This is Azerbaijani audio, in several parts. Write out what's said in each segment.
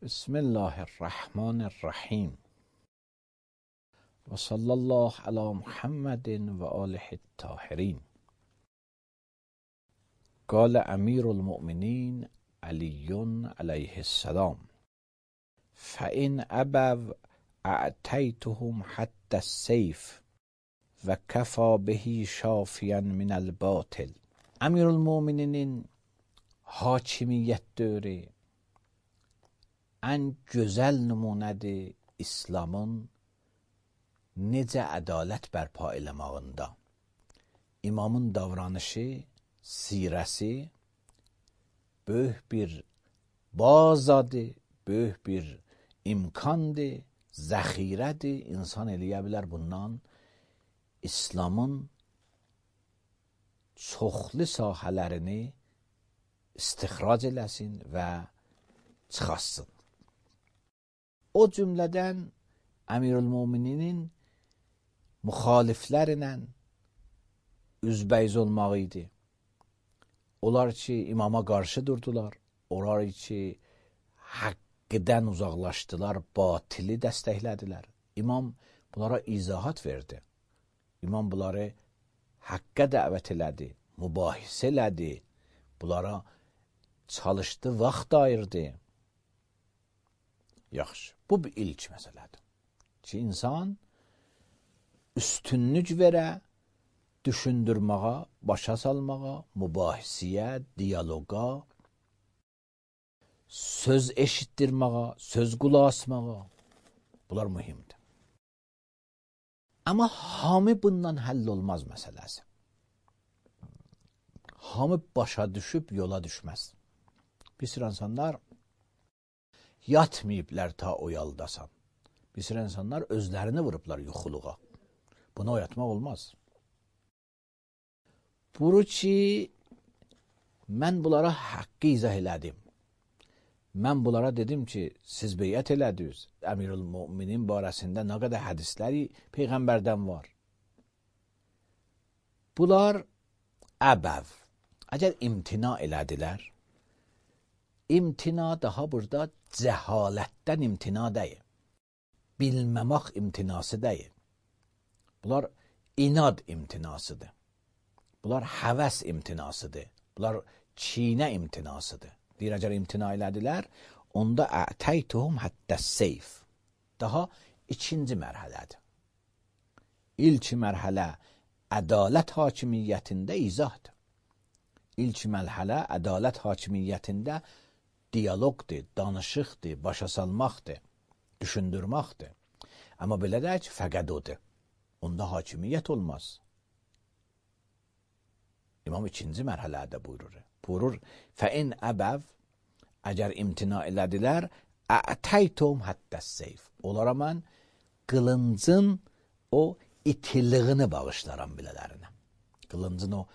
بسم الله الرحمن الرحیم و صلی الله علی محمد و آله الطاهرین. قال امیر المؤمنین علی علیه السلام فإن ابوا اعطیتهم حد السیف و کفی به شافیا من الباطل. امیر المؤمنinin hakimiyyət dövrü ən gözəl nümunədir İslamın necə ədalət bərpa eləmağında. İmamın davranışı, sirəsi böyük bir bazadır, böyük bir imkandır, zəxirədir. İnsan eləyə bilər bundan İslamın çoxlu sahələrini istixrac eləsin və çıxasın. O cümlədən Əmirül-Mömininin müxaliflərlə üzbəyiz olmağı idi. Onlar ki, imama qarşı durdular. Onlar ki, haqqıdan uzaqlaşdılar, batili dəstəklədilər. İmam bunlara izahat verdi. İmam bunları haqqa dəvət elədi, mübahisə elədi. Bunlara çalışdı, vaxt ayırdı. Yaxşı, bu bir ilk məsələdir. Ki, insan üstünlük verə, düşündürməyə, başa salmağa, mübahisəyə, diyaloqa, söz eşitdirməyə, söz qulaq asmağa. Bunlar mühimdir. Amma hamı bundan həll olmaz məsələsi. Hamı başa düşüb yola düşməz. Bir sürü insanlar yatmayıblar ta oyaldasan. Bir sürü insanlar özlərini vurublar yuxuluğa. Bunu oyatmaq olmaz. Buru ki, mən bunlara haqqı izah elədim. Mən bunlara dedim ki, siz beyət elədiniz. Əmirül-Möminin barəsində nə qədər hədisləri Peyğəmbərdən var. Bunlar əbəv. Əgər imtina elədilər, imtina daha burada cəhalətdən imtina deyil. Bilməmək imtinası deyil. Bunlar inad imtinasıdır. Bunlar həvəs imtinasıdır. Bunlar çiynə imtinasıdır. Deyir, əgər imtina elədilər, onda ətəytuhum həddəs-seyf. Daha ikinci mərhələdir. İlk mərhələ ədalət hakimiyyətində izahdır. İlk mərhələ ədalət hakimiyyətində diyaloqdur, danışıqdır, başa salmaqdır, düşündürməkdir. Amma belə deyək, fəqət odur. Onda hakimiyyət olmaz. İmam ikinci mərhələdə buyurur. Buyurur, fəin əbəv, əgər imtina elədilər, ətəytum həddəs-seyf. Onlara mən qılıncın o itiliyini bağışlaram bilələrinə. Qılıncın o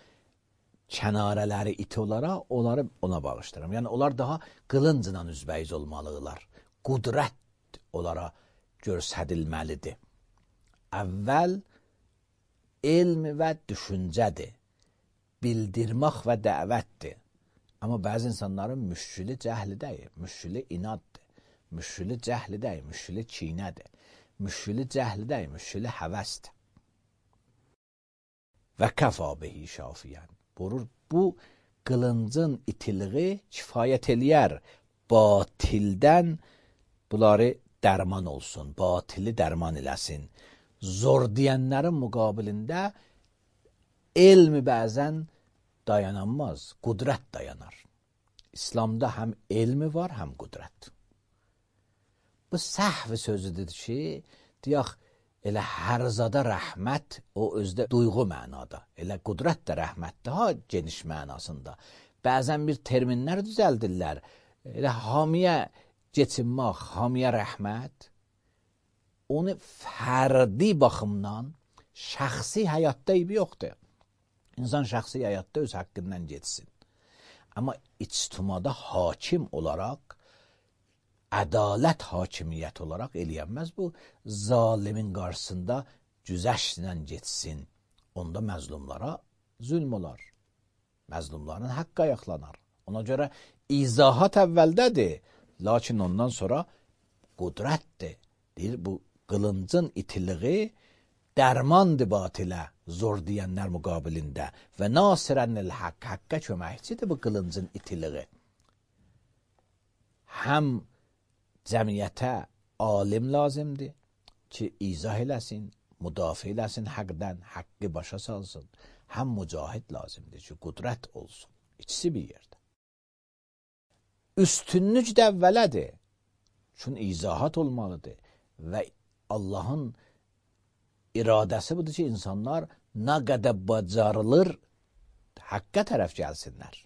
kənarələri iti olaraq, onları ona bağışlayıram. Yəni, onlar daha qılıncla üzbəyiz olmalıdırlar. Qudrət onlara göstərilməlidir. Əvvəl elm və düşüncədir. Bildirmək və dəvətdir. Amma bəzi insanların müşkülü cəhli deyil, müşkülü inaddır. Müşkülü cəhli deyil, müşkülü çiynədir. Müşkülü cəhli deyil, müşkülü həvəsdir. Və kəfa bihi şafiyən. Buyurur, bu qılıncın itiliği kifayət eləyər. Batildən bunları dərman olsun, batili dərman eləsin. Zor deyənlərin müqabilində elmi bəzən dayananmaz, qudrət dayanar. İslamda həm elmi var, həm qudrət. Bu səhv sözüdür ki, deyək, elə hərzada rəhmət o özdə duyğu mənada. Elə qudrət də rəhmət daha geniş mənasında. Bəzən bir terminlər düzəldirlər. Elə hamiyə geçinmək, hamiyə rəhmət. Onu fərdi baxımdan şəxsi həyatda eybi yoxdur. İnsan şəxsi həyatda öz haqqından geçsin. Amma ictimada hakim olaraq, ədalət hakimiyyət olaraq eləyənməz bu, zalimin qarşısında güzəştlə geçsin. Onda məzlumlara zülm olar. Məzlumların haqqı ayaqlanar. Ona görə izahat əvvəldədir, Lakin ondan sonra qudrətdir. Deyir, bu qılıncın itiliği dərmandır batilə, zor deyənlər müqabilində və nasirənil haqq, haqqa köməkçidir bu qılıncın itiliği. Həm cəmiyyətə alim lazımdır ki, izah eləsin, müdafiə eləsin haqdan, haqqı başa salsın. Həm mücahid lazımdır ki, qudrət olsun. İkisi bir yerdə. Üstünlük də əvvələdir. Çünki izahat olmalıdır və Allahın iradəsi budur ki, insanlar nə qədər bacarılır haqqa tərəf gəlsinlər.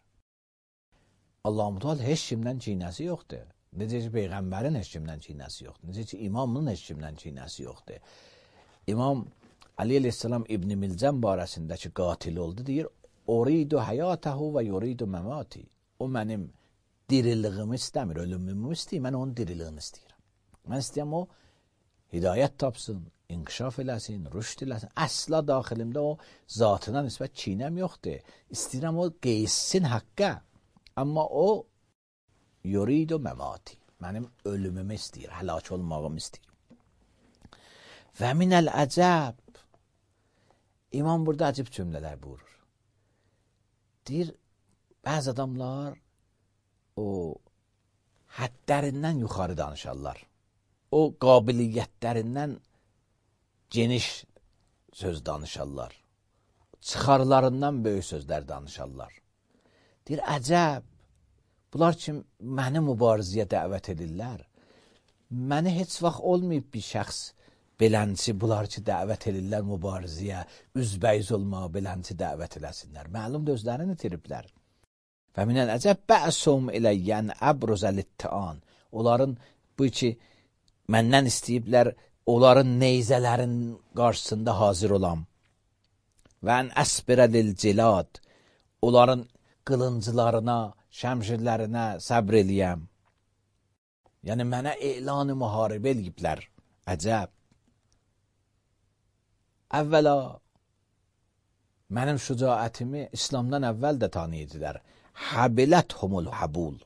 Allah-u Teala heç kimdən kinəsi yoxdur. Necə ki, Peyğəmbərin heç kimdən kinəsi yoxdur. Necə ki, imamın heç kimdən kinəsi yoxdur. İmam Ali əleyhissalam İbn Milcəm barəsindəki qatil oldu, deyir, Uridu həyatəhu və yuridu məmati. O mənim diriliyimi istəmir, ölümümü istəyir, mən onun diriliyini istəyirəm. Mən istəyəm o hidayət tapsın, inkişaf eləsin, rüşd eləsin. Əsla daxilimdə o zatına nisbət kinəm yoxdur. İstəyirəm o qeyssin haqqa. Amma o yuridu məmati. Mənim ölümümü istəyir, həlak olmağımı istəyir. Və minəl əcəb. İmam burada acib cümlələr buyurur. Deyir, bəzi adamlar o həddlərindən yuxarı danışarlar. O qabiliyyətlərindən geniş söz danışarlar. Çıxarlarından böyük sözlər danışarlar. Deyir, əcəb, bunlar ki, məni mübarizəyə dəvət edirlər. Məni heç vaxt olmayıb bir şəxs belənçi, bunlar ki, dəvət edirlər mübarizəyə, üzbəyiz olmağa belənçi dəvət eləsinlər. Məlum özlərini itiriblər. Və minən əcəb bə'sum iləyyən əbruzəlittəan. Onların bu ki, məndən istəyiblər, onların neyzələrin qarşısında hazır olam. Və ən əsbirəlil cilad. Onların qılınclarına, şəmşirlərinə səbr eləyəm. Yəni, mənə elan-ı müharibə eləyiblər. Əcəb. Əvvəla, mənim şücaətimi İslamdan əvvəl də tanıyıdılar. Həbiləthumul həbul.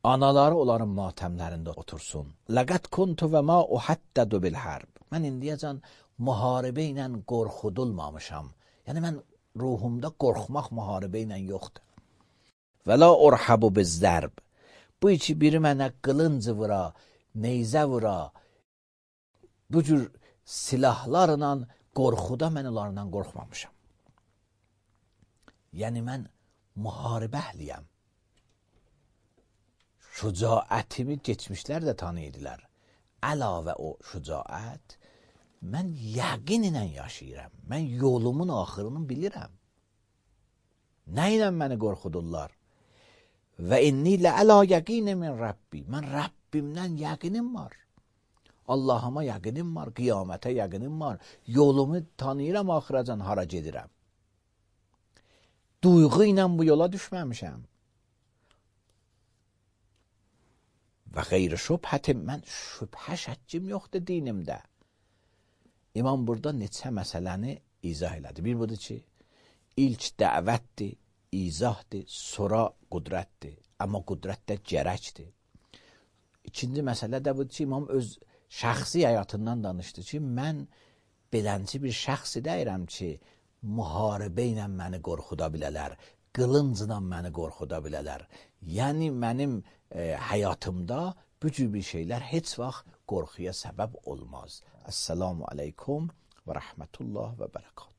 Anaları onların matəmlərində otursun. Ləqət kuntu və ma uhaddədu bil hərb. Mən indiyəcən müharibə ilə qorxudulmamışam. Yəni, mən ruhumda qorxmaq müharibə ilə yoxdur. Və la urhabu bizzərb. Bu iki biri mənə qılıncı vura, neyzə vura, bu cür silahlarla qorxuda mən onlardan qorxmamışam. Yəni, mən müharibə əhliyəm. Şücaətimi geçmişlər də tanıyırdılar. Əlavə o şücaət, mən yəqin ilə yaşayıram. Mən yolumun axırını bilirəm. Nə ilə məni qorxudurlar? Və inni lə'ələ yəqini min Rəbbi. Mən Rəbbimdən yəqinim var. Allahıma yəqinim var, qiyamətə yəqinim var. Yolumu tanıyıram, axıracan hara gedirəm. Duyğu ilə bu yola düşməmişəm. Və xeyri şübhətim, mən şübhə şəkkim yoxdur dinimdə. İmam burada neçə məsələni izah elədi. Bir budur ki, ilk dəvətdir, izahdır, sonra qudrətdir. Amma qudrət də gərəkdir. İkinci məsələ də budur ki, İmam öz şəxsi həyatından danışdı ki, mən belənci bir şəxsi deyirəm ki, müharibə ilə məni qorxuda bilələr, qılıncla məni qorxuda bilələr. Yəni, mənim həyatımda bu cür bir şeylər heç vaxt qorxuya səbəb olmaz. Əssəlamu aleykum və rəhmətullah və bərəkət.